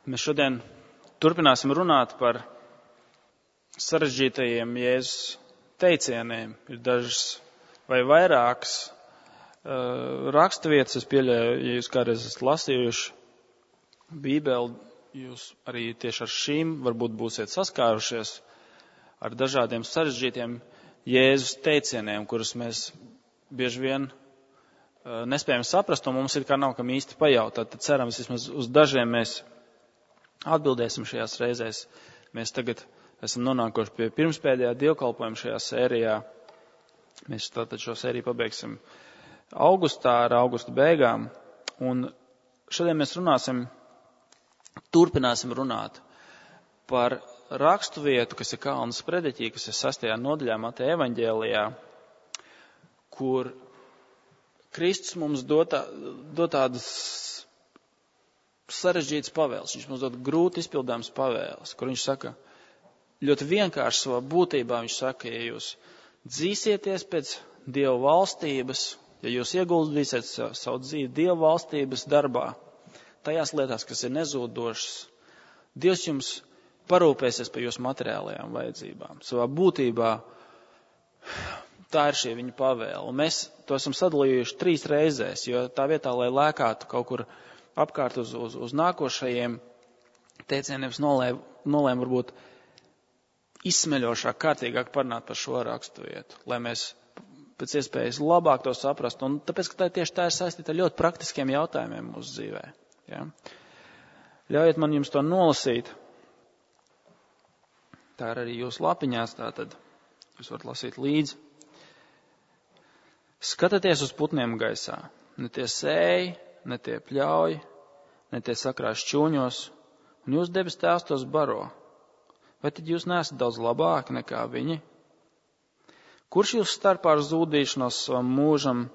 Mēs šodien turpināsim runāt par sarežģītajiem Jēzus teicieniem. Ir dažas vai vairākas raksturvietas, es pieļauju, ja jūs kādreiz esat lasījuši Bībeli, jūs arī tieši ar šīm varbūt būsiet saskārušies ar dažādiem sarežģītiem Jēzus teicieniem, kurus mēs bieži vien nespējam saprast, un mums ir kā nav kam īsti pajautāt. Tad cerams, vismaz uz dažiem mēs atbildēsim šajās reizēs. Mēs tagad esam nonākuši pie pirmspēdējā dievkalpojuma šajā sērijā. Mēs tātad šo sēriju pabeigsim augustā ar augusta beigām. Un šodien mēs turpināsim runāt par raksturvietu, kas ir Kalna sprediķī, kas ir 6. nodaļā Mateja evaņģēlijā, kur Kristus mums dod tādas sarežģītas pavēles. Viņš mums dod grūti izpildāmas pavēles, kur viņš saka, ļoti vienkārši savā būtībā viņš saka, ja jūs dzīsieties pēc Dieva valstības, ja jūs ieguldīsiet savu dzīvi Dieva valstības darbā, tajās lietās, kas ir nezūdošas, Dievs jums parūpēsies par jūsu materiālajām vajadzībām. Savā būtībā tā ir šī viņa pavēle. Un mēs to esam sadalījuši 3 reizēs, jo tā vietā, lai lēkātu kaut kur apkārt uz nākošajiem teicieniem, nolēma varbūt izsmeļošāk, kārtīgāk parunāt par šo raksturvietu, lai mēs pēc iespējas labāk to saprastu. Un tāpēc, ka tieši tā ir saistīta ar ļoti praktiskiem jautājumiem mūsu dzīvē. Ja? Ļaujiet man jums to nolasīt. Tā ir arī jūsu lapiņās, tātad jūs varat lasīt līdzi. Skatieties uz putniem gaisā. Ne tie sēj, ne tie pļauj, ne tie sakrās šķūņos, un jūs debes tēvs tos baro. Vai tad jūs neesat daudz labāki nekā viņi? Kurš jūs starpā ar zūdīšanos savam mūžam,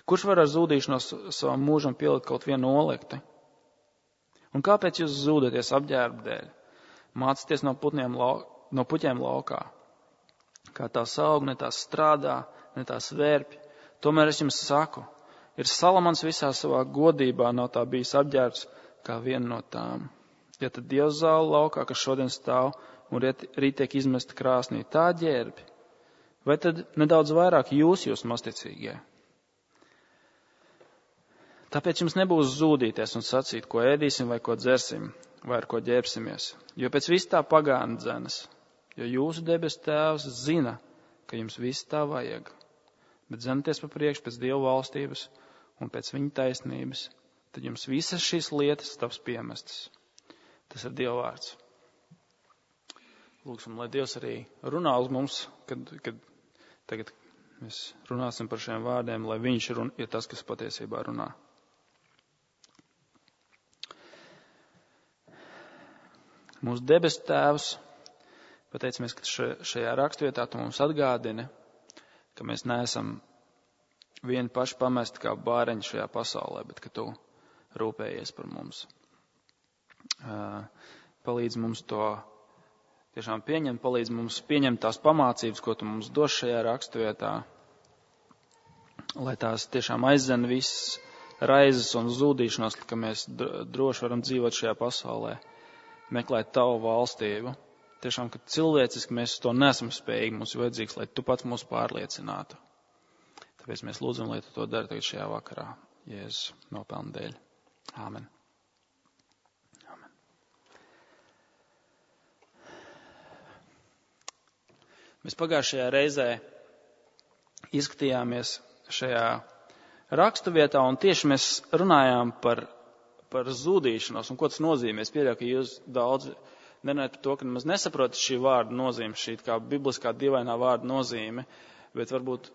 kurš var ar zūdīšanos savam mūžam pielikt kaut vienu olekti? Un kāpēc jūs zūdaties apģērba dēļ? Mācieties no puķiem laukā. Kā tās aug, ne tās strādā, ne tās vērpj. Tomēr es jums saku, ir Salamans visā savā godībā nav tā bijis apģērbs kā viena no tām. Ja tad Dievs zāle laukā, kas šodien stāv un rīt tiek izmesta krāsnī, tā ģērbi, vai tad nedaudz vairāk jūs masticīgie? Tāpēc jums nebūs zūdīties un sacīt, ko ēdīsim vai ko dzersim, vai ar ko ģērbsimies, jo pēc viss tā pagāna dzenas, jo jūsu debes tēvs zina, ka jums viss tā vajag. Bet zenaties pa priekšu pēc Dieva valstības un pēc viņa taisnības, tad jums visas šīs lietas taps piemestas. Tas ir Dieva vārds. Lūksim, lai Dievs arī runā uz mums, kad tagad mēs runāsim par šiem vārdiem, lai viņš ir tas, kas patiesībā runā. Mūsu debes tēvs, pateicamies, ka šajā raksturvietā tu mums atgādini, ka mēs neesam vieni paši pamesti kā bāreņi šajā pasaulē, bet ka tu rūpējies par mums. Palīdz mums to tiešām pieņemt, palīdz mums pieņemt tās pamācības, ko tu mums dos šajā raksturvietā, lai tās tiešām aizdzen visas raizes un zūdīšanos, ka mēs droši varam dzīvot šajā pasaulē, meklēt tavu valstību. Tiešām, ka cilvēciski mēs to nesam spējīgi, mums ir vajadzīgs, lai tu pats mūs pārliecinātu. Tāpēc mēs lūdzam, lai tu to dari tagad šajā vakarā, Jēzus nopelna dēļ. Āmen. Āmen. Mēs pagājušajā reizē izskatījāmies šajā raksturvietā, un tieši mēs runājām par zūdīšanos, un ko tas nozīmē. Es pieļauju, ka jūs daudz nerunājat par to, ka nemaz nesaprotat šī vārda nozīme, šī kā bibliskā dievainā vārda nozīme, bet varbūt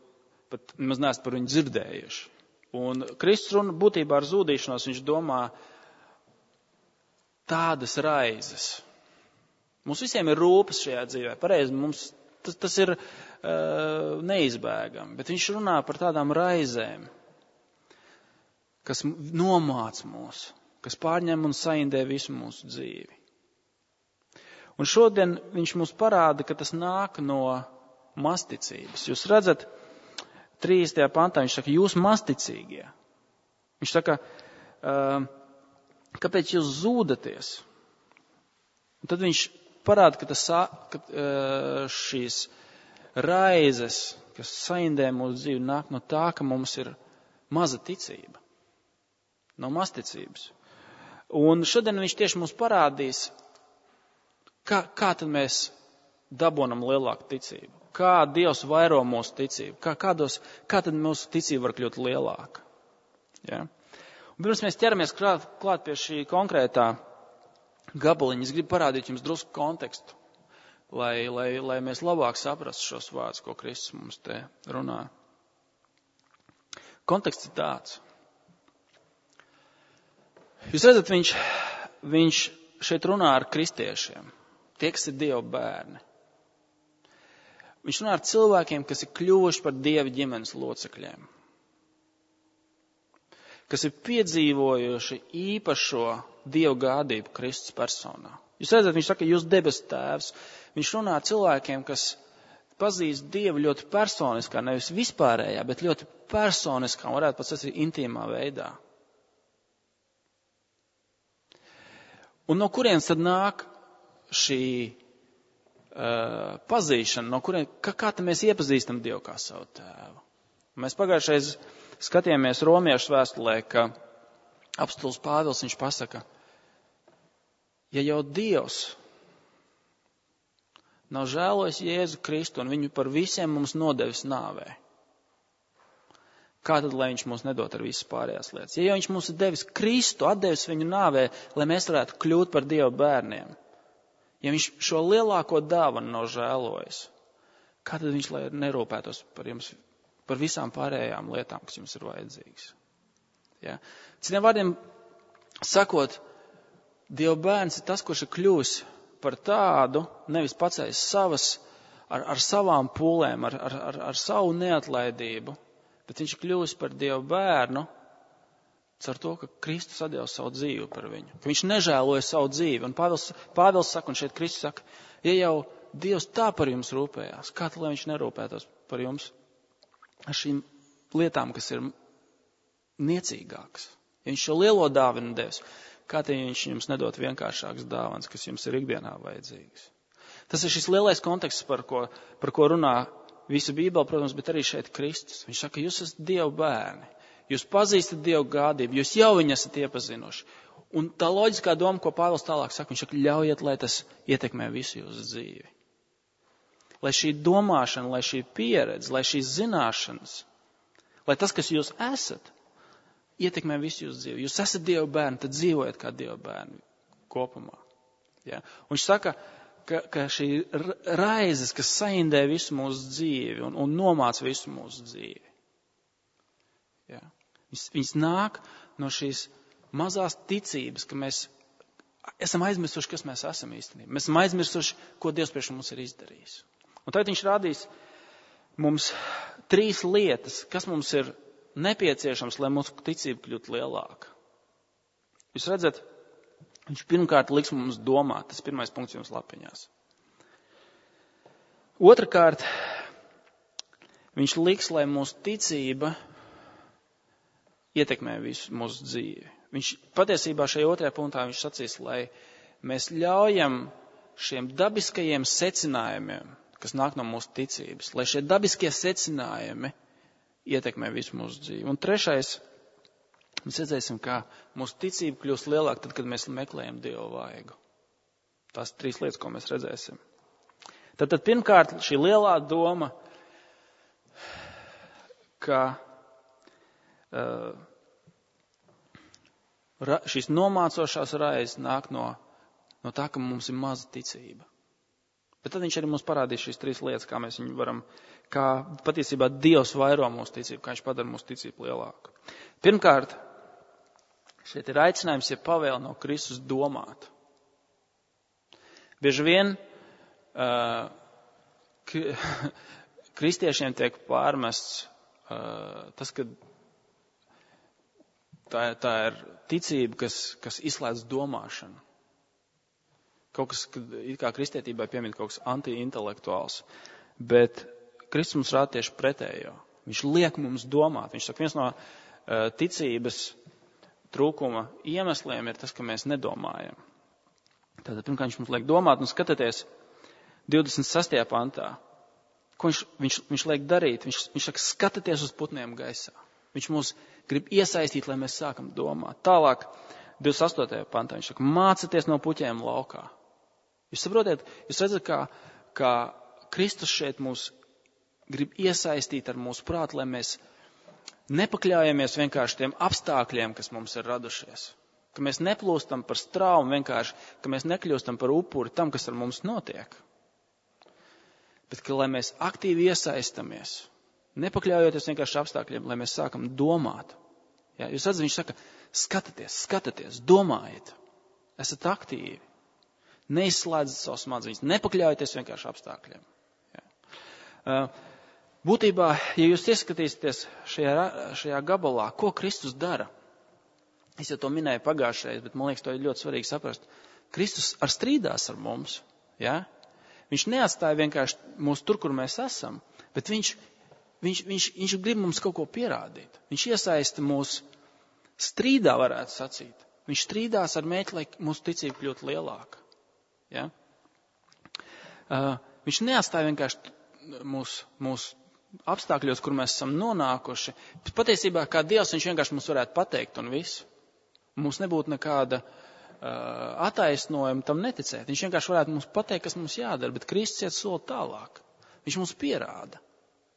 pat nemaz neesat par viņu dzirdējuši. Un Kristus runa būtībā ar zūdīšanos, viņš domā tādas raizes. Mums visiem ir rūpes šajā dzīvē. Pareizi, mums tas ir neizbēgami, bet viņš runā par tādām raizēm, kas nomāc mūs, kas pārņem un saindē visu mūsu dzīvi. Un šodien viņš mums parāda, ka tas nāk no masticības. Jūs redzat, 30. pantā viņš saka, jūs masticīgie. Viņš saka, kāpēc jūs zūdaties? Un tad viņš parāda, ka šīs raizes, kas saindē mūsu dzīvi, nāk no tā, ka mums ir maza ticība. No mazticības. Un šodien viņš tieši mums parādīs, kā tad mēs dabonam lielāku ticību. Kā Dievs vairo mūsu ticību. Kā tad mūsu ticība var kļūt lielāka. Ja? Un pirms mēs ķeramies klāt pie šī konkrētā gabaliņa, es gribu parādīt jums drusku kontekstu, lai mēs labāk saprastu šos vārdus, ko Kristus mums te runā. Konteksts ir tāds. Jūs redzat, viņš šeit runā ar kristiešiem, tie, kas ir Dieva bērni. Viņš runā ar cilvēkiem, kas ir kļuvuši par Dieva ģimenes locekļiem, kas ir piedzīvojuši īpašo Dieva gādību Kristus personā. Jūs redzat, viņš saka, jūs debesu tēvs. Viņš runā ar cilvēkiem, kas pazīst Dievu ļoti personiskā, nevis vispārējā, bet ļoti personiskā, varētu pat sacīt intīmā veidā. Un no kurienes tad nāk šī pazīšana, kā tad mēs iepazīstam Dievu kā savu tēvu? Mēs pagājušais skatījāmies Romiešu vēstulē, ka apostols Pāvils viņš pasaka, ja jau Dievs nav žēlojis Jēzu Kristu un viņu par visiem mums nodevis nāvē, kā tad, lai viņš mums nedod ar visas pārējās lietas? Ja jau viņš mums ir devis Kristu, atdevis viņu nāvē, lai mēs varētu kļūt par Dieva bērniem, ja viņš šo lielāko dāvanu nav žēlojis, kā tad viņš lai nerūpētos par jums, par visām pārējām lietām, kas jums ir vajadzīgas? Ja? Citiem vārdiem sakot, Dieva bērns ir tas, kurš ir kļūs par tādu, nevis pacējis savas, ar savām pūlēm, ar savu neatlaidību, bet viņš ir kļuvis par Dieva bērnu caur to, ka Kristus atdeva savu dzīvi par viņu. Ka viņš nežēloja savu dzīvi. Un Pāvils saka, un šeit Kristus saka, ja jau Dievs tā par jums rūpējās, kā tad, lai viņš nerūpētos par jums ar šīm lietām, kas ir niecīgākas? Ja viņš šo lielo dāvanu devis, kā tad viņš jums nedod vienkāršākas dāvanas, kas jums ir ikdienā vajadzīgas? Tas ir šis lielais konteksts, par ko runā visa Bībele, protams, bet arī šeit Kristus. Viņš saka, jūs esat Dieva bērni. Jūs pazīstat Dieva gādību, jūs jau viņu esat iepazinuši. Un tā loģiskā doma, ko Pāvils tālāk saka, viņš saka, ļaujiet, lai tas ietekmē visu jūsu dzīvi. Lai šī domāšana, lai šī pieredze, lai šīs zināšanas, lai tas, kas jūs esat, ietekmē visu jūsu dzīvi. Jūs esat Dieva bērni, tad dzīvojiet kā Dieva bērni kopumā. Ja? Un viņš saka, ka šī raizes, kas saindē visu mūsu dzīvi un nomāca visu mūsu dzīvi. Ja? Viņas nāk no šīs mazās ticības, ka mēs esam aizmirsuši, kas mēs esam īstenībā. Mēs esam aizmirsuši, ko Dievs priekš mums ir izdarījis. Un tad viņš rādīs mums 3 lietas, kas mums ir nepieciešams, lai mūsu ticība kļūtu lielāka. Jūs redzat, viņš pirmkārt liks mums domāt. Tas pirmais punkts jums lapiņās. Otrakārt, viņš liks, lai mūsu ticība ietekmē visu mūsu dzīvi. Viņš patiesībā šajā otrajā punktā viņš sacīs, lai mēs ļaujam šiem dabiskajiem secinājumiem, kas nāk no mūsu ticības, lai šie dabiskie secinājumi ietekmē visu mūsu dzīvi. Un trešais, mēs redzēsim, kā mūsu ticība kļūst lielāka tad, kad mēs meklējam Dieva vaigu. Tās 3 lietas, ko mēs redzēsim. Tad pirmkārt, šī lielā doma, ka šīs nomācošās raizes nāk no tā, ka mums ir maza ticība. Bet tad viņš arī mums parādīs šīs 3 lietas, kā mēs viņu varam, kā patiesībā Dievs vairo mūsu ticību, kā viņš padara mūsu ticību lielāku. Pirmkārt, šeit ir aicinājums, ja pavēle no Kristus domāt. Bieži vien kristiešiem tiek pārmests tas, ka tā ir ticība, kas izslēdz domāšanu. Kaut kas, kā kristietībai piemīt kaut kas anti-intelektuāls. Bet Kristus mums rāda tieši pretējo. Viņš liek mums domāt. Viņš saka, viens no ticības trūkuma iemesliem ir tas, ka mēs nedomājam. Tātad, pirmkārt, viņš mums liek domāt, un skatieties 26. pantā. Ko viņš liek darīt? Viņš saka, skatieties uz putniem gaisā. Viņš mūs grib iesaistīt, lai mēs sākam domāt. Tālāk, 28. pantā, viņš saka, mācieties no puķiem laukā. Jūs saprotiet, jūs redzat, kā Kristus šeit mūs grib iesaistīt ar mūsu prātu, lai mēs nepakļaujamies vienkārši tiem apstākļiem, kas mums ir radušies. Ka mēs neplūstam par straumu vienkārši, ka mēs nekļūstam par upuri tam, kas ar mums notiek. Bet, ka lai mēs aktīvi iesaistamies, nepakļaujoties vienkārši apstākļiem, lai mēs sākam domāt. Jā, jūs redzat, viņš saka, skatieties, domājiet, esat aktīvi, neizslēdzat savus smadzenes, nepakļaujoties vienkārši apstākļiem. Jā. Būtībā, ja jūs ieskatīsieties šajā gabalā, ko Kristus dara, es jau to minēju pagājušajā, bet man liekas, to ir ļoti svarīgi saprast. Kristus strīdās ar mums, jā? Viņš neatstāja vienkārši mūs tur, kur mēs esam, bet viņš grib mums kaut ko pierādīt. Viņš iesaista mūs strīdā, varētu sacīt. Viņš strīdās ar mērķi, lai mūsu ticība kļūtu lielāka. Ja? Viņš neatstāja vienkārši mūsu apstākļos, kur mēs esam nonākuši. Bet patiesībā, kā Dievs, viņš vienkārši mums varētu pateikt un visu. Mums nebūtu nekāda attaisnojuma tam neticēt. Viņš vienkārši varētu mums pateikt, kas mums jādara, bet Kristus iet soli tālāk. Viņš mums pierāda.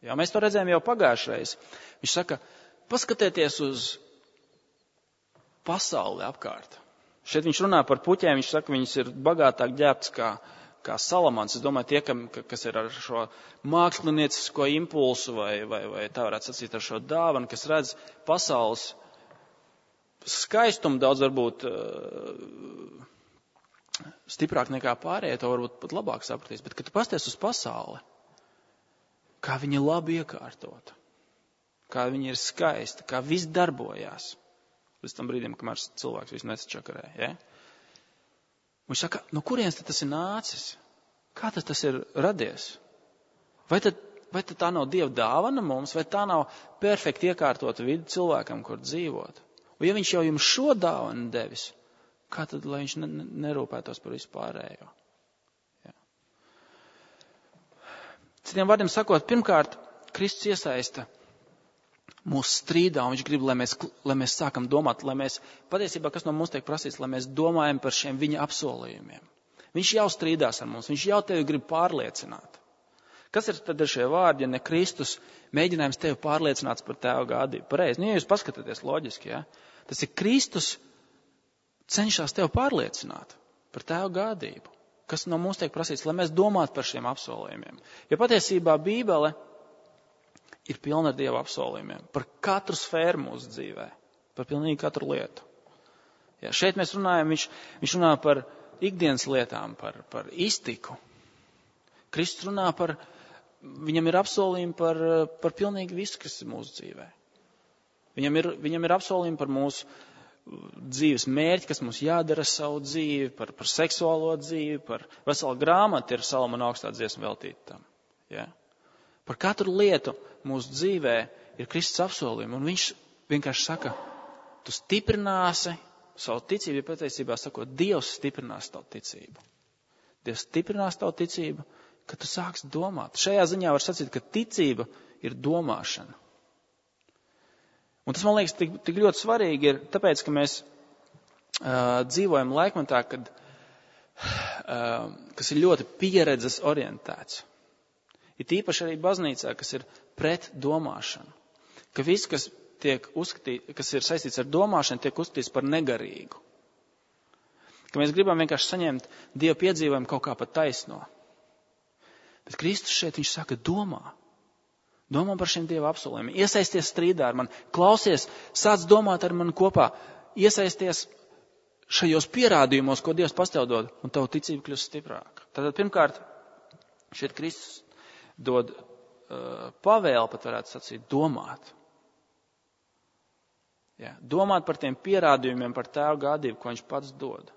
Jā, mēs to redzējām jau pagājušreiz. Viņš saka, paskatieties uz pasauli apkārt. Šeit viņš runā par puķiem, viņš saka, viņas ir bagātāk ģērbtas kā salamans. Es domāju, tie, kas ir ar šo māksliniecisko impulsu vai tā varētu sacīt ar šo dāvanu, kas redz pasaules skaistumu daudz varbūt stiprāk nekā pārējie, to varbūt pat labāk sapratīs. Bet, kad tu pasties uz pasauli, kā viņa ir labi iekārtota, kā viņa ir skaista, kā viss darbojās, līdz tam brīdim, kamēr cilvēks visu nesačakarē. Ja? Viņš saka, no kurienes tas ir nācis? Kā tas ir radies? Vai tad tā nav Dieva dāvana mums, vai tā nav perfekti iekārtota vidi cilvēkam, kur dzīvot? Un ja viņš jau jums šo dāvanu devis, kā tad, lai viņš nerūpētos par vispārējo? Ja. Citiem vārdiem sakot, pirmkārt, Kristus iesaista mūsu strīdā, un viņš grib, lai mēs sākam domāt, lai mēs, patiesībā, kas no mums tiek prasīts, lai mēs domājam par šiem viņa apsolījumiem. Viņš jau strīdās ar mums, viņš jau tevi grib pārliecināt. Kas ir tad šie vārdi, ja ne Kristus mēģinājums tevi pārliecināt par tēva gādību? Pareizi, ja jūs paskatāties loģiski, ja? Tas ir Kristus cenšas tevi pārliecināt par tēva gādību. Kas no mums tiek prasīts, lai mēs domātu par šiem apsolījumiem. Jo patiesībā Bībele ir pilna ar Dieva apsolījumiem. Par katru sfēru mūsu dzīvē. Par pilnīgi katru lietu. Ja, šeit mēs runājam, viņš runā par ikdienas lietām, par iztiku. Kristus runā viņam ir apsolījumi par pilnīgi visu, kas ir mūsu dzīvē. Viņam ir apsolījumi par mūsu dzīves mērķi, kas mums jādara savu dzīvi, par seksuālo dzīvi, par veselu grāmatu ir Salamana augstā dziesma veltīta tam. Ja? Par katru lietu mūsu dzīvē ir Kristus apsolījumi, un viņš vienkārši saka, tu stiprināsi savu ticību, ja patiesībā sakot, Dievs stiprinās tavu ticību. Dievs stiprinās tavu ticību, ka tu sāksi domāt. Šajā ziņā var sacīt, ka ticība ir domāšana. Un tas, man liekas, tik ļoti svarīgi ir, tāpēc, ka mēs dzīvojam laikmetā, kas ir ļoti pieredzes orientēts. Ir tīpaši arī baznīcā, kas ir pret domāšanu. Ka viss, kas ir saistīts ar domāšanu, tiek uzskatīts par negarīgu. Ka mēs gribam vienkārši saņemt Dieva piedzīvojumu kaut kā pat taisno. Bet Kristus šeit, viņš saka, domā. Domā par šiem Dieva apsolījumiem. Iesaisties strīdā ar mani. Klausies, sāc domāt ar mani kopā. Iesaisties šajos pierādījumos, ko Dievs pastāv dod, un tavu ticību kļūst stiprāka. Tātad, pirmkārt, šeit Kristus dod pavēli, pat varētu sacīt, domāt. Ja, domāt par tiem pierādījumiem, par tēva gādību, ko viņš pats dod.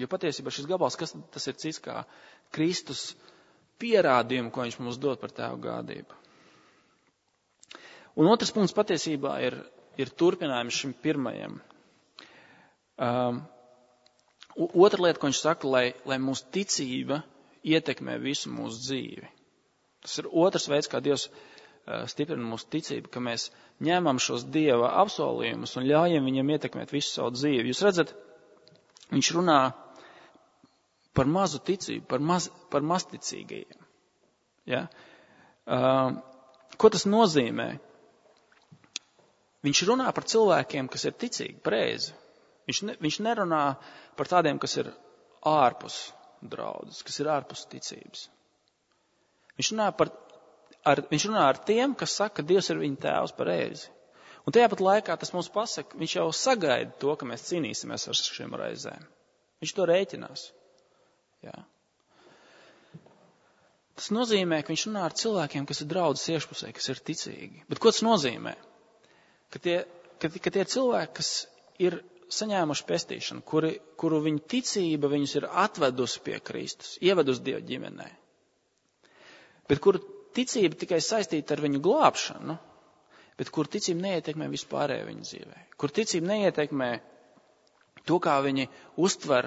Jo patiesībā šis gabals, kas tas ir cits kā Kristus pierādījumu, ko viņš mums dod par tēva gādību. Un otrs punkts patiesībā ir turpinājums šim pirmajam. Otra lieta, ko viņš saka, lai mūsu ticība ietekmē visu mūsu dzīvi. Tas ir otrs veids, kā Dievs stiprina mūsu ticību, ka mēs ņemam šos Dieva apsolījumus un ļaujam viņam ietekmēt visu savu dzīvi. Jūs redzat, viņš runā par mazu ticību, par mazticīgajiem. Ja? Ko tas nozīmē? Viņš runā par cilvēkiem, kas ir ticīgi, pareizi. Viņš nerunā par tādiem, kas ir ārpus draudzes, kas ir ārpus ticības. Viņš runā ar tiem, kas saka, ka Dievs ir viņa tēvs, pareizi. Un tajā pat laikā tas mums pasaka, viņš jau sagaida to, ka mēs cīnīsimies ar šiem raizēm. Viņš to rēķinās. Jā. Tas nozīmē, ka viņš runā ar cilvēkiem, kas ir draudzes iešpusē, kas ir ticīgi. Bet ko tas nozīmē? Ka tie cilvēki, kas ir saņēmuši pestīšanu, kuru viņa ticība viņus ir atvedusi pie Kristus, ievedusi Dieva ģimenē. Bet kuru ticība tikai saistīta ar viņu glābšanu, bet kur ticība neietekmē vispārējo viņu dzīvē. Kur ticība neietekmē to, kā viņi uztver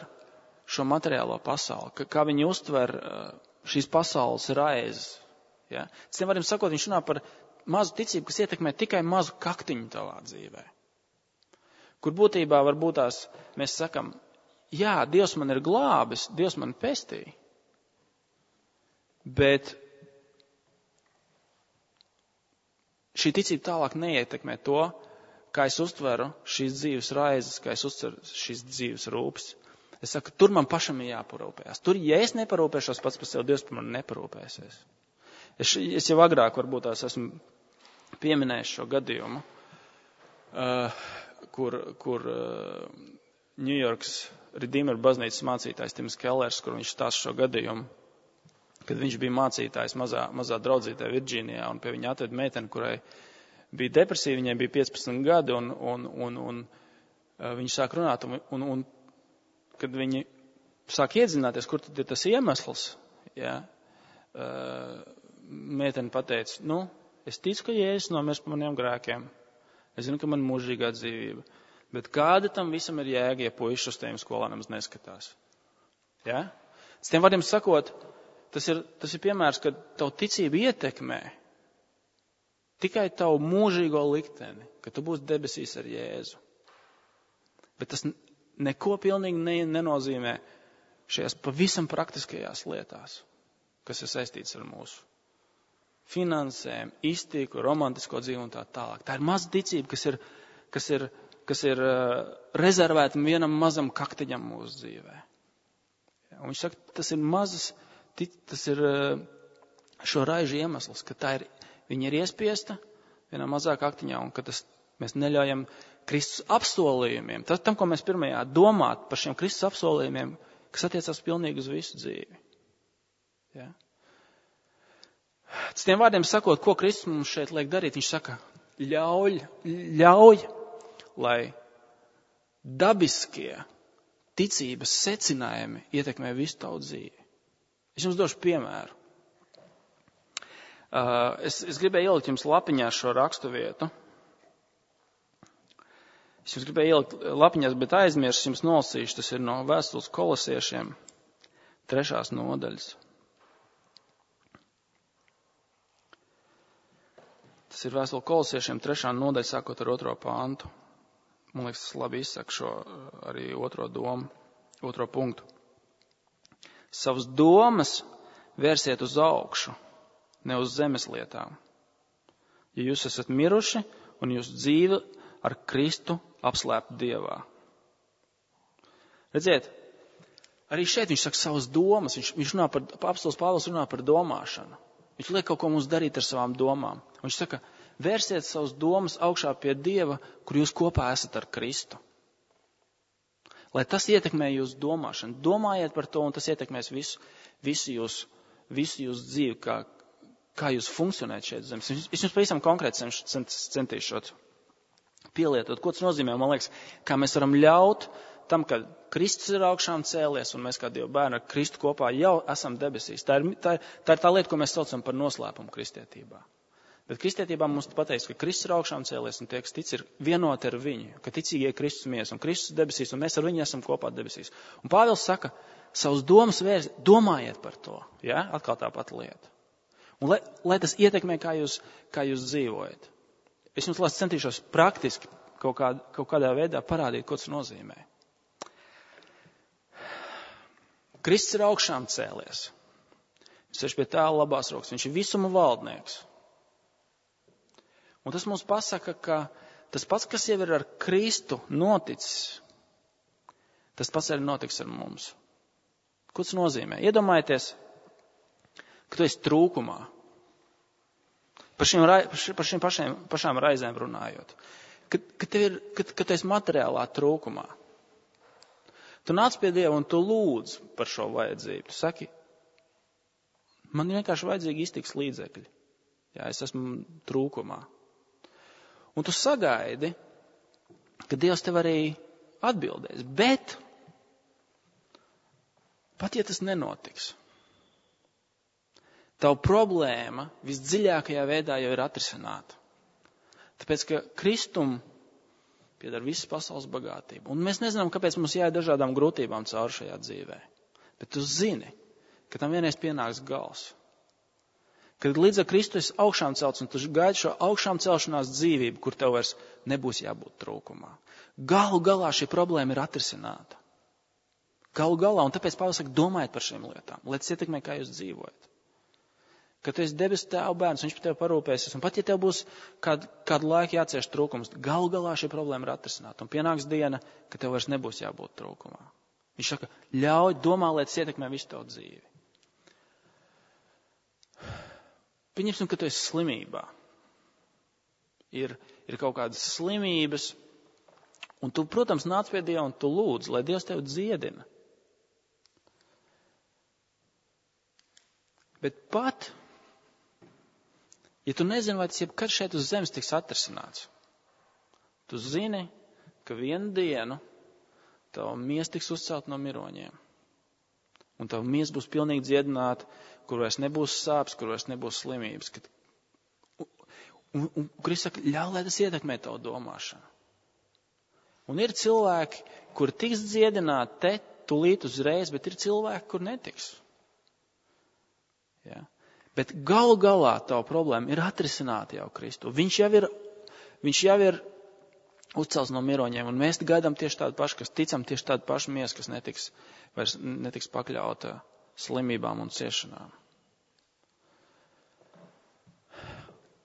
šo materiālo pasauli, kā viņi uztver šīs pasaules raizes. Ja? Citiem vārdiem sakot, viņš runā par mazu ticību, kas ietekmē tikai mazu kaktiņu tavā dzīvē. Kur būtībā varbūt tās mēs sakam, jā, Dievs man ir glābis, Dievs man pestīja, bet šī ticība tālāk neietekmē to, kā es uztveru šīs dzīves raizes, kā es uztveru šīs dzīves rūpes. Es saku, tur man pašam ir jāparūpējās. Tur, ja es neparūpēšos pats par sevi, Dievs par mani neparūpēsies. Es jau agrāk varbūt tās esmu pieminējis šo gadījumu, kur New Yorks Redeemer baznīcas mācītājs Tims Kellers, kur viņš stāsta šo gadījumu, kad viņš bija mācītājs mazā draudzītē Virģīnijā, un pie viņa atveda meiteni, kurai bija depresija, viņai bija 15 gadi, un viņi sāk runāt, un kad viņi sāk iedzināties, kur tad ir tas iemesls, ja, meiteni pateica, es ticu, ka Jēzus nomirs par maniem grēkiem, es zinu, ka man mūžīgā dzīvība, bet kāda tam visam ir jēga, ja puiši uz tiem skolā nemaz neskatās. Ja? S tiem vārdiem sakot, tas ir piemērs, ka tavu ticību ietekmē tikai tavu mūžīgo likteni, ka tu būsi debesīs ar Jēzu. Bet tas neko pilnīgi nenozīmē šajās pavisam praktiskajās lietās, kas ir saistīts ar mūsu finansēm, iztiku, romantisko dzīvi un tā tālāk. Tā ir maza ticība, kas ir rezervēta vienam mazam kaktiņam mūsu dzīvē. Un viņš saka, tas ir šo raižu iemesls, ka viņa ir iespiesta vienā mazā kaktiņā un ka mēs neļaujam Kristus apsolījumiem. Tam, ko mēs pirmajā domāt par šiem Kristus apsolījumiem, kas attiecās pilnīgi uz visu dzīvi. Ja? Tas tiem vārdiem sakot, ko Kristus mums šeit liek darīt, viņš saka, ļauj, lai dabiskie ticības secinājumi ietekmē visu tavu dzīvi. Es jums došu piemēru. Es gribēju ielikt jums lapiņā šo rakstu vietu. Es jums gribēju ielikt lapiņās, bet aizmirsu jums nolasīšu. Tas ir no vēstules Kolosiešiem 3. nodaļas. Tas ir vēstule Kolosiešiem 3. nodaļa, sākot ar 2. pāntu. Man liekas, tas labi izsaka šo arī otro domu, otro punktu. Savas domas vērsiet uz augšu, ne uz zemes lietām. Ja jūs esat miruši un jūsu dzīve ar Kristu apslēpta Dievā. Redziet, arī šeit viņš saka savas domas, viņš runā apostils Pāvils runā par domāšanu. Viņš liek kaut ko mums darīt ar savām domām. Viņš saka, vērsiet savas domas augšā pie Dieva, kur jūs kopā esat ar Kristu. Lai tas ietekmē jūsu domāšanu. Domājiet par to, un tas ietekmēs visu jūsu dzīvi, kā jūs funkcionēt šeit zemes. Es jums pavisam konkrēti centīšos pielietot. Ko tas nozīmē? Man liekas, kā mēs varam ļaut tam, ka Kristus ir augšām cēlies, un mēs kā Dieva bērni ar Kristu kopā jau esam debesīs. Tā ir tā lieta, ko mēs saucam par noslēpumu kristietībā. Bet kristietībā mums pateiks, ka Kristus ir augšām cēlies un tie, kas tic, ir vienoti ar viņu, ka ticīgie Kristus mies un Kristus debesīs un mēs ar viņu esam kopā debesīs. Un Pāvils saka, savus domas domājiet par to, ja? Atkal tā pati lieta. Un lai tas ietekmē, kā jūs dzīvojat. Es jums centīšos praktiski kaut kādā veidā parādīt, ko tas nozīmē. Kristus ir augšām cēlies. Viņš ir pie tēva labās rokas. Viņš ir visuma valdnieks. Un tas mums pasaka, ka tas pats, kas jau ir ar Kristu noticis, tas pats arī notiks ar mums. Ko tas nozīmē? Iedomājieties, ka tu esi trūkumā. Par šīm pašām raizēm runājot. Kad tu esi materiālā trūkumā. Tu nāc pie Dieva un tu lūdz par šo vajadzību. Tu saki, man vienkārši vajadzīgi iztiks līdzekļi. Jā, es esmu trūkumā. Un tu sagaidi, ka Dievs tev arī atbildēs. Bet, pat ja tas nenotiks, tavu problēma visdziļākajā veidā jau ir atrisināta. Tāpēc, ka Kristum pieder visas pasaules bagātība. Un mēs nezinām, kāpēc mums jāiet dažādām grūtībām cauri šajā dzīvē. Bet tu zini, ka tam vienreiz pienāks gals. Kad līdz ar Kristu esi augšām celts un tu gaidi šo augšām celšanās dzīvību, kur tev vairs nebūs jābūt trūkumā. Galu galā šī problēma ir atrisināta. Galu galā, un tāpēc Pāvils saka, domājiet par šīm lietām, lai tas ietekmē, kā jūs dzīvojat. Kad tu esi debesu tēva bērns, viņš par tevi parūpēsies, un pat ja tev būs kādu laiku jācieš trūkums, galu galā šī problēma ir atrisināta. Un pienāks diena, ka tev vairs nebūs jābūt trūkumā. Viņš saka, ļauj, domā, lai tas ietekmē visu tavu dzīvi. Pieņemsim, ka tu esi slimībā. Ir kaut kādas slimības, un tu, protams, nāc pie Dieva un tu lūdz, lai Dievs tevi dziedina. Bet pat, ja tu nezini, vai tas jebkad šeit uz zemes tiks atrisināts, tu zini, ka vienu dienu tava miesa tiks uzcelt no miroņiem. Un tava miesa būs pilnīgi dziedināta, kur vairs nebūs sāpes, kur vairs nebūs slimības. Un Kristus saka, ļauj, lai tas ietekmē tavu domāšanu. Un ir cilvēki, kur tiks dziedināti tūlīt uzreiz, bet ir cilvēki, kur netiks. Ja? Bet galu galā tavu problēma ir atrisināta jau Kristu. Viņš jau ir uzcelts no miroņiem, un mēs gaidām tieši tādu pašu, kas ticam tieši tādu pašu miesu, kas vairs netiks pakļauta slimībām un ciešanām.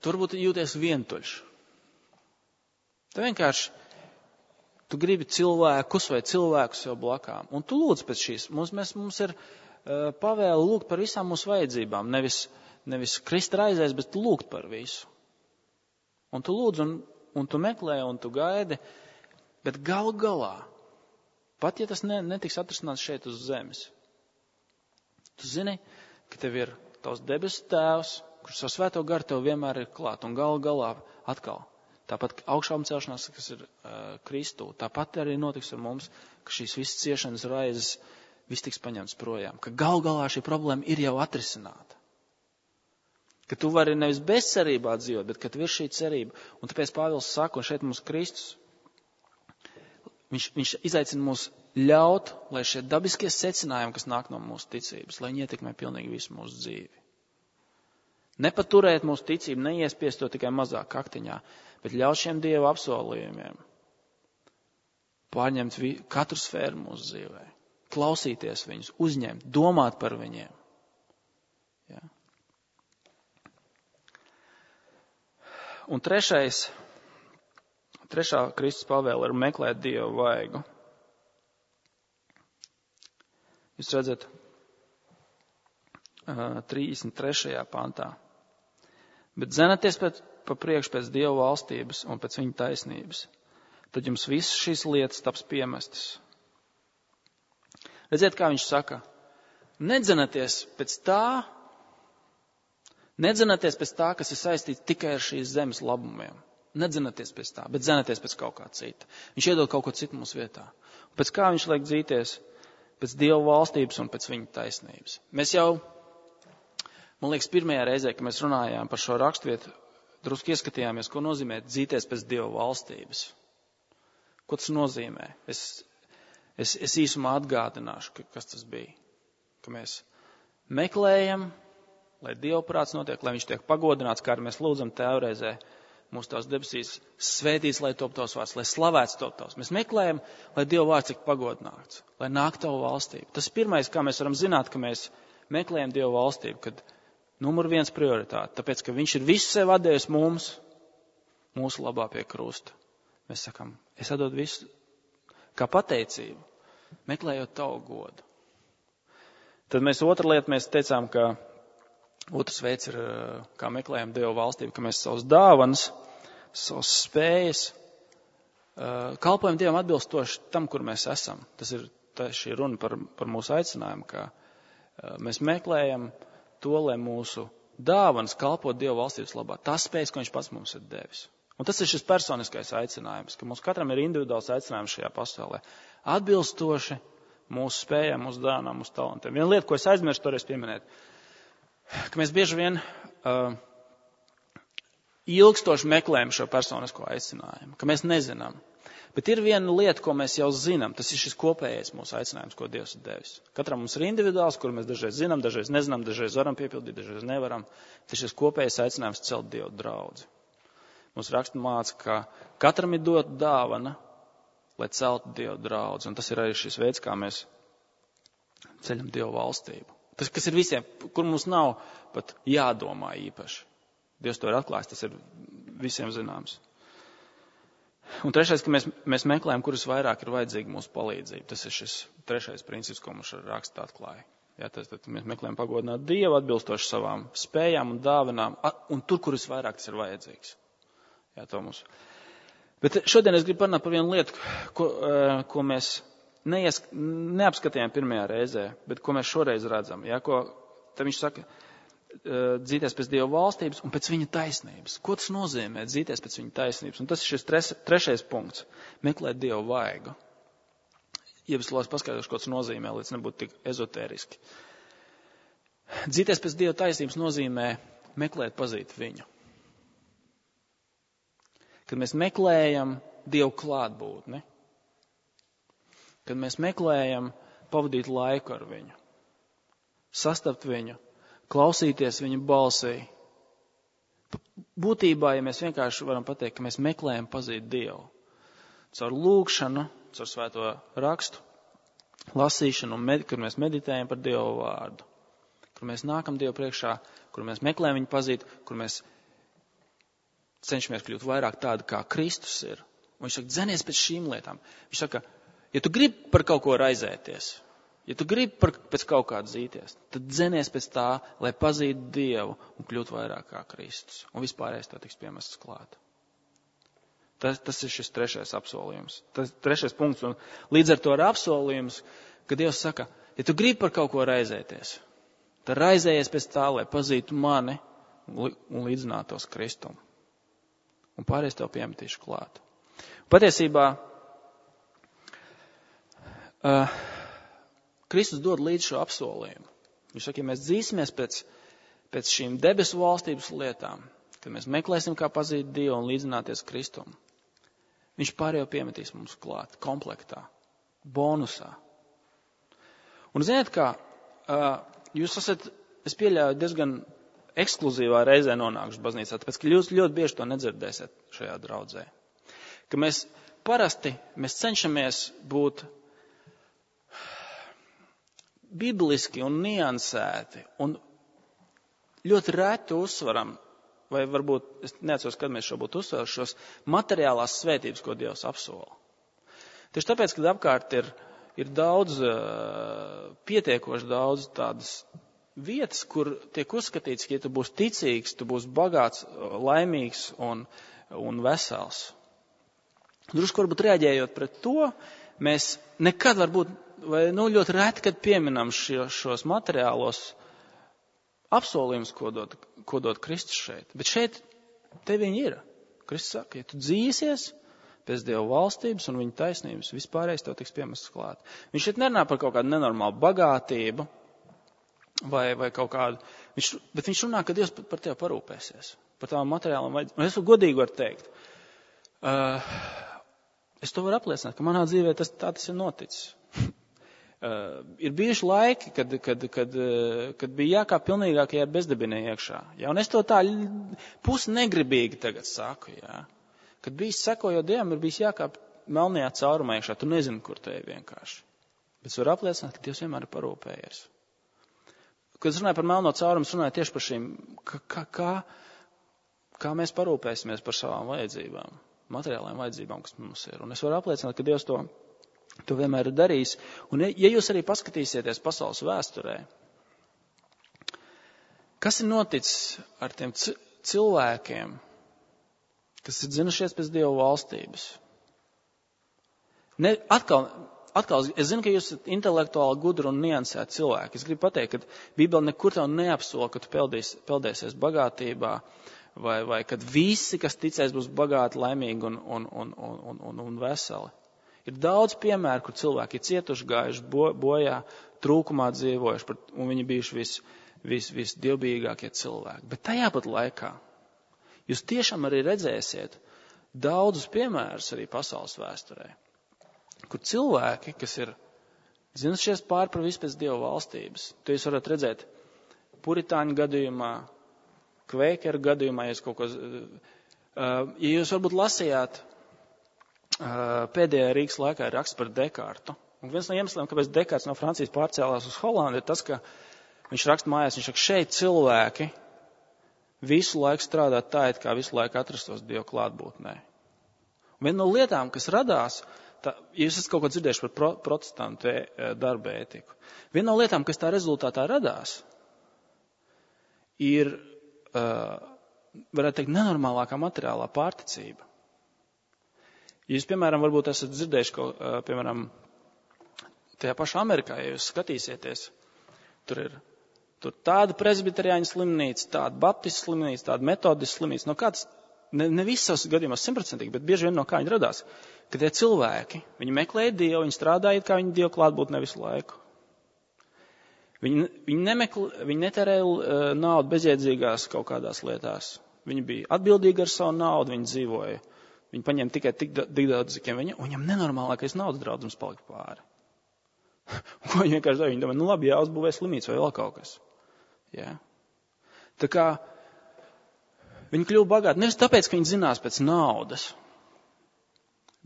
Tu varbūt jūties vientuļš. Tu vienkārši, tu gribi cilvēkus vai cilvēkus jau blakām, un tu lūdz pēc šīs. Mums ir pavēle lūgt par visām mūsu vajadzībām, nevis krist raizēs, bet lūgt par visu. Un tu lūdz, un tu meklē, un tu gaidi, bet galu galā, pat ja tas netiks atrisināts šeit uz zemes, tu zini, ka tev ir tavs debesu tēvs, kurš savu svēto garu tev vienmēr ir klāt, un galu galā atkal, tāpat augšām celšanās, kas ir Kristū, tāpat arī notiks ar mums, ka šīs visas ciešanas raizes, viss tiks paņemts projām, ka galu galā šī problēma ir jau atrisināta. Ka tu vari nevis bezcerībā dzīvot, bet ka tev ir šī cerība. Un tāpēc Pāvils saka, un šeit mums Kristus, viņš izaicina mūs ļaut, lai šie dabiskie secinājumi, kas nāk no mūsu ticības, lai viņi ietekmē pilnīgi visu mūsu dzīvi. Nepaturēt mūsu ticību, neiespiest to tikai mazāk kaktiņā, bet ļaut šiem Dieva apsolījumiem pārņemt katru sfēru mūsu dzīvē, klausīties viņus, uzņemt, domāt par viņiem. Ja? Un trešā Kristus pavēle ir meklēt Dievu vaigu. Jūs redzat, 33. pantā. Bet dzenaties pa priekšu pēc Dieva valstības un pēc viņa taisnības. Tad jums visas šīs lietas taps piemestas. Redziet, kā viņš saka, nedzenaties pēc tā, kas ir saistīts tikai ar šīs zemes labumiem. Nedzenaties pēc tā, bet dzenaties pēc kaut kā cita. Viņš iedod kaut ko citu mūsu vietā. Un pēc kā viņš liek dzīties? Pēc Dieva valstības un pēc viņa taisnības. Mēs jau, man liekas, pirmajā reizē, kad mēs runājām par šo raksturvietu, drusku ieskatījāmies, ko nozīmē dzīties pēc Dieva valstības. Ko tas nozīmē? Es īsumā atgādināšu, kas tas bija. Ka mēs meklējam, lai Dieva prāts notiek, lai viņš tiek pagodināts, kā arī mēs lūdzam Tēvreizē, mūsu tās debesīs svētīts, lai top tavs vārds, lai slavēts top tavs. Mēs meklējam, lai Dieva vārds tiek pagodināts, lai nāk tavu valstību. Tas ir pirmais, kā mēs varam zināt, ka mēs meklējam Dieva valstību, kad numur 1 prioritāte, tāpēc, ka viņš ir visu sev atdevis mums, mūsu labā pie krusta. Mēs sakam, es atdodu visu kā pateicību, meklējot tavu godu. Tad otra lieta, mēs teicām, ka otrs veids ir, kā meklējam Dieva valstību, ka mēs savus dāvanas, savus spējas, kalpojam Dievam atbilstoši tam, kur mēs esam. Tas ir šī runa par mūsu aicinājumu, ka mēs meklējam to, lai mūsu dāvanas kalpot Dieva valstības labā. Tas spējas, ko viņš pats mums ir devis. Un tas ir šis personiskais aicinājums, ka mums katram ir individuāls aicinājums šajā pasaulē. Atbilstoši mūsu spējām, mūsu dāvanām, mūsu talantiem. Viena lieta, ko es aizmirstu toreiz pieminēt, ka mēs bieži vien ilgstoši meklējam šo personisko aicinājumu, ka mēs nezinām. Bet ir viena lieta, ko mēs jau zinām, tas ir šis kopējais mūsu aicinājums, ko Dievs ir devis. Katram mums ir individuāls, kur mēs dažreiz zinām, dažreiz nezinām, dažreiz varam piepildīt, dažreiz nevaram. Tas ir šis kopējais aicinājums celt Dievu draudzi. Mums raksta māca, ka katram ir dot dāvana, lai celtu Dievu draudzi. Un tas ir arī šis veids, kā mēs ceļam Dievu valstību. Tas, kas ir visiem, kur mums nav pat jādomā īpaši. Dievs to ir atklājis, tas ir visiem zināms. Un trešais, ka mēs meklējam, kuras vairāk ir vajadzīga mūsu palīdzība. Tas ir šis trešais princips, ko mums raksta atklāja. Jā, tad mēs meklējam pagodināt Dievu atbilstoši savām spējām un dāvinām, un tur, kuras vairāk tas ir vajadzīgs. Jā, to mums. Bet šodien es gribu parunāt par vienu lietu, ko mēs neapskatījām pirmajā reizē, bet ko mēs šoreiz redzam. Jā, tad viņš saka, dzīties pēc Dieva valstības un pēc viņa taisnības. Ko tas nozīmē dzīties pēc viņa taisnības? Un tas ir šis trešais punkts. Meklēt Dievu vaigu. Ja es lūdzu paskaidrošu, ko tas nozīmē, līdz nebūtu tik ezotēriski. Dzīties pēc Dieva taisnības nozīmē meklēt, pazīt viņu. Kad mēs meklējam Dievu klātbūtni, kad mēs meklējam pavadīt laiku ar viņu, sastapt viņu, klausīties viņa balsī. Būtībā, ja mēs vienkārši varam pateikt, ka mēs meklējam pazīt Dievu. Caur lūgšanu, caur svēto rakstu, lasīšanu, kad mēs meditējam par Dievu vārdu. Kur mēs nākam Dievu priekšā, kur mēs meklējam viņu pazīt, kur mēs cenšamies kļūt vairāk tādi, kā Kristus ir. Un viņš saka, dzenies pēc šīm lietām. Viņš saka, ja tu gribi par kaut ko raizēties, ja tu gribi pēc kaut kā dzīties, tad dzenies pēc tā, lai pazītu Dievu un kļūtu vairāk kā Kristus. Un vispārējais tā tiks piemests klāt. Tas ir šis trešais apsolījums. Tas trešais punkts. Un līdz ar to ir apsolījums, ka Dievs saka, ja tu gribi par kaut ko raizēties, tad raizējies pēc tā, lai pazītu mani un līdzinātos Kristum. Un pārējais tev piemetīšu klāt. Patiesībā Kristus dod līdz šo apsolījumu. Viņš saka, ja mēs dzīsimies pēc šīm debesu valstības lietām, kad mēs meklēsim, kā pazīt Dievu un līdzināties Kristum, viņš pārējo piemetīs mums klāt, komplektā, bonusā. Un ziniet kā, jūs esat, es pieļauju, diezgan ekskluzīvā reizē nonākuši baznīcā, tāpēc, ka jūs ļoti bieži to nedzirdēsiet šajā draudzē. Ka mēs cenšamies būt bibliski un niansēti un ļoti reti uzsvaram, vai varbūt, es neatceros, kad mēs šo būtu uzsvaruši, šos materiālās svētības, ko Dievs apsola. Tieši tāpēc, kad apkārt ir daudz, pietiekoši daudz tādas vietas, kur tiek uzskatīts, ka ja tu būsi ticīgs, tu būsi bagāts, laimīgs un vesels. Drusku varbūt reaģējot pret to, mēs nekad varbūt, vai ļoti reti, kad pieminam šos materiālos apsolījumus, ko dod Kristus šeit. Bet šeit te viņi ir. Kristus saka, ja tu dzīsies pēc Dieva valstības un viņa taisnības, vispārējais tev tiks piemests klāt. Viņš šeit nerunā par kaut kādu nenormālu bagātību vai kaut kādu, bet viņš runā, ka Dievs par tevi parūpēsies. par tām materiālām vajadzībām. Un es godīgi varu teikt, es to varu apliecināt, ka manā dzīvē tas ir noticis. Ir bijuši laiki, kad bija jākāp pilnīgākajā bezdibinē iekšā. Ja? Un es to tā pusnegribīgi tagad saku. Ja? Kad bijis sekojot Dievam, ir bijis jākāp melnajā caurumā iekšā. Tu nezini, kur te ir vienkārši. Bet es varu apliecināt, ka Dievs vienmēr ir parūpējies. Kad es runāju par melno caurumu, es runāju tieši par šīm, kā mēs parūpēsimies par savām vajadzībām, materiālajām vajadzībām, kas mums ir. Un es varu apliecināt, ka Dievs to vienmēr ir darījis. Un ja jūs arī paskatīsieties pasaules vēsturē, kas ir noticis ar tiem cilvēkiem, kas ir dzinušies pēc Dieva valstības? Atkal, es zinu, ka jūs esat intelektuāli gudri un niansēti cilvēki. Es gribu pateikt, ka Bībele nekur tev neapsola, ka tu peldēsies bagātībā, vai kad visi, kas ticēs, būs bagāti, laimīgi un veseli. Ir daudz piemēru, kur cilvēki ir cietuši, gājuši bojā, trūkumā dzīvojuši, un viņi bijuši visdievbijīgākie cilvēki. Bet tajā pat laikā jūs tiešām arī redzēsiet daudzus piemērus arī pasaules vēsturē, kur cilvēki, kas ir zinušies pār par visu pēc Dieva valstības, to jūs varat redzēt puritāņu gadījumā, kvēkeru gadījumā, ja jūs varbūt lasījāt pēdējā Rīgas laikā ir raksts par Dekārtu. Un viens no iemesliem, kāpēc Dekārts no Francijas pārcēlās uz Holandi, ir tas, ka viņš raksta mājās, viņš saka, šeit cilvēki visu laiku strādā tā, it kā visu laiku atrastos Dieva klātbūtnē. Un viena no lietām, kas radās, jūs esat kaut ko dzirdējuši par protestantu darba ētiku. Viena no lietām, kas tā rezultātā radās, ir, varētu teikt, nenormālākā materiālā pārticība. Jūs, piemēram, varbūt esat dzirdējuši, piemēram, tajā pašā Amerikā, ja jūs skatīsieties, tur ir tāda presbiteriāņu slimnīca, tāda baptistu slimnīca, tāda metodistu slimnīca. No kāds, ne visos gadījumos 100%, bet bieži vien no kā viņi radās, ka tie cilvēki, viņi meklēja Dievu, viņi strādāja, kā viņi Dievu klātbūtnē visu laiku. Viņi netērēja naudu bezjēdzīgās kaut kādās lietās. Viņi bija atbildīgi ar savu naudu, viņi dzīvoja. Viņi paņēma tikai tik daudz, cik viņam nenormālākais naudas daudzums palika pāri. Un ko viņi vienkārši dara? Viņi domā, labi, jāuzbūvē slimnīca vai vēl kaut kas. Ja? Tā kā viņi kļuva bagāti nevis tāpēc, ka viņi zinās pēc naudas,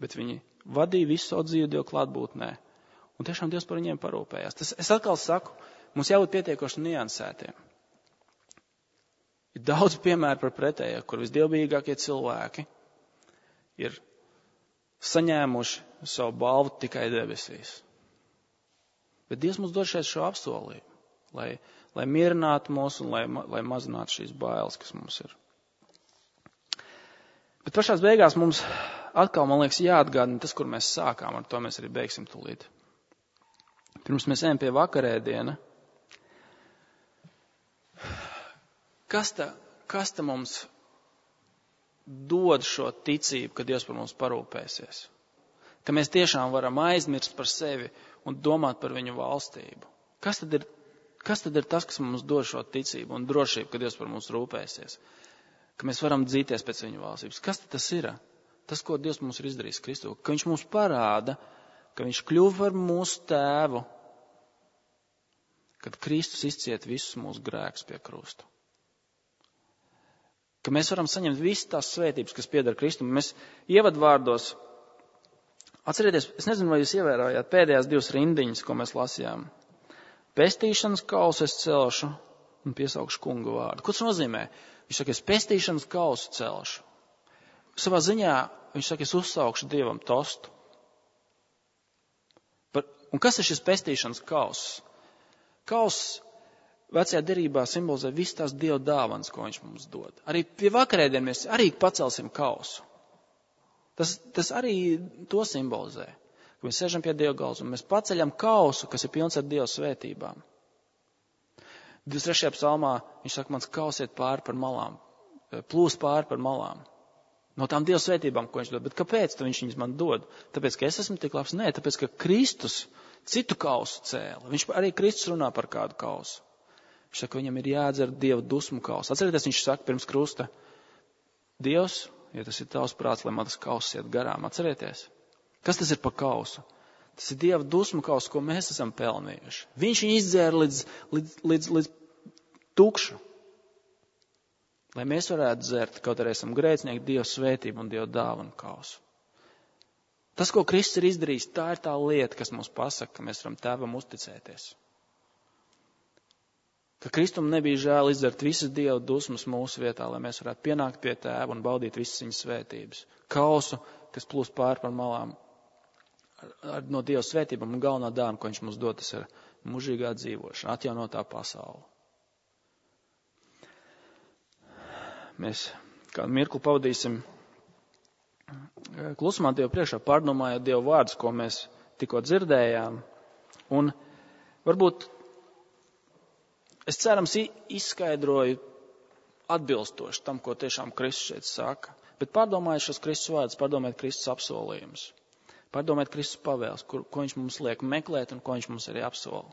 bet viņi vadīja visu savu dzīvi Dieva klātbūtnē. Un tiešām Dievs par viņiem parūpējās. Es atkal saku, mums jābūt pietiekoši niansētiem. Ir daudz piemēru par pretējo, kur visdievbijīgākie cilvēki ir saņēmuši savu balvu tikai debesīs. Bet Dievs mums dod šeit šo apsolību, lai mierinātu mūs un lai mazinātu šīs bailes, kas mums ir. Bet pašās beigās mums atkal, man liekas, jāatgādina tas, kur mēs sākām, ar to mēs arī beigsim tūlīt. Pirms mēs ejam pie vakarēdiena, kas ta mums dod šo ticību, ka Dievs par mums parūpēsies? Ka mēs tiešām varam aizmirst par sevi un domāt par viņu valstību. Kas tad ir tas, kas mums dod šo ticību un drošību, ka Dievs par mums rūpēsies? Ka mēs varam dzīties pēc viņu valstības. Kas tad tas ir? Tas, ko Dievs mums ir izdarījis Kristu. Ka viņš mums parāda, ka viņš kļuva par mūsu tēvu, kad Kristus izciet visus mūsu grēkus pie krusta. Ka mēs varam saņemt visas tās svētības, kas pieder Kristum. Mēs ievadvārdos, atcerieties, es nezinu, vai jūs ievērojāt pēdējās 2 rindiņas, ko mēs lasījām. Pestīšanas kausu es celšu un piesaukšu kunga vārdu. Ko tas nozīmē? Viņš saka, es pestīšanas kausu celšu. Savā ziņā viņš saka, es uzsaukšu Dievam tostu. Un kas ir šis pestīšanas kauss? Kauss vecajā derībā simbolizē visas tās Dieva dāvanas, ko viņš mums dod. Arī pie vakarēdien mēs arī pacelsim kausu. Tas arī to simbolizē. Ka mēs sēžam pie Dieva galda un mēs paceļam kausu, kas ir pilns ar Dieva svētībām. 23. psalmā viņš saka, mans kaus iet pāri par malām, plūs pāri par malām. No tām Dieva svētībām, ko viņš dod. Bet kāpēc viņš viņas man dod? Tāpēc, ka es esmu tik labs? Nē, tāpēc, ka Kristus citu kausu cēla. Arī Kristus runā par kādu kausu. Viņš saka, viņam ir jādzer Dieva dusmu kausu. Atcerieties, viņš saka pirms krusta, Dievs, ja tas ir tavs prāts, lai man tas kauss iet garām, atcerieties. Kas tas ir par kausu? Tas ir Dieva dusmu kauss, ko mēs esam pelnījuši. Viņš viņu izdzēra līdz tukšu. Lai mēs varētu dzert, kaut arī esam grēcinieki, Dieva svētību un Dieva dāvanu kausu. Tas, ko Kristus ir izdarījis, tā ir tā lieta, kas mums pasaka, ka mēs varam Tēvam uzticēties. Ka Kristum nebija žēl izdzert visas Dieva dusmas mūsu vietā, lai mēs varētu pienākt pie Tēva un baudīt visas viņa svētības. Kausu, kas plūst pāri par malām no Dieva svētībām un galvenā dāvana, ko viņš mums dod, tas ir mūžīgā dzīvošana, atjaunotā pasaule. Mēs kādu mirkli pavadīsim klusumā Dievu priekšā, pārdomājot Dievu vārdus, ko mēs tikko dzirdējām. Un varbūt es cerams izskaidroju atbilstoši tam, ko tiešām Kristus šeit saka. Bet pārdomājiet šos Kristus vārdus, pārdomājiet Kristus apsolījumus. Pārdomājiet Kristus pavēles, ko viņš mums liek meklēt un ko viņš mums arī apsola.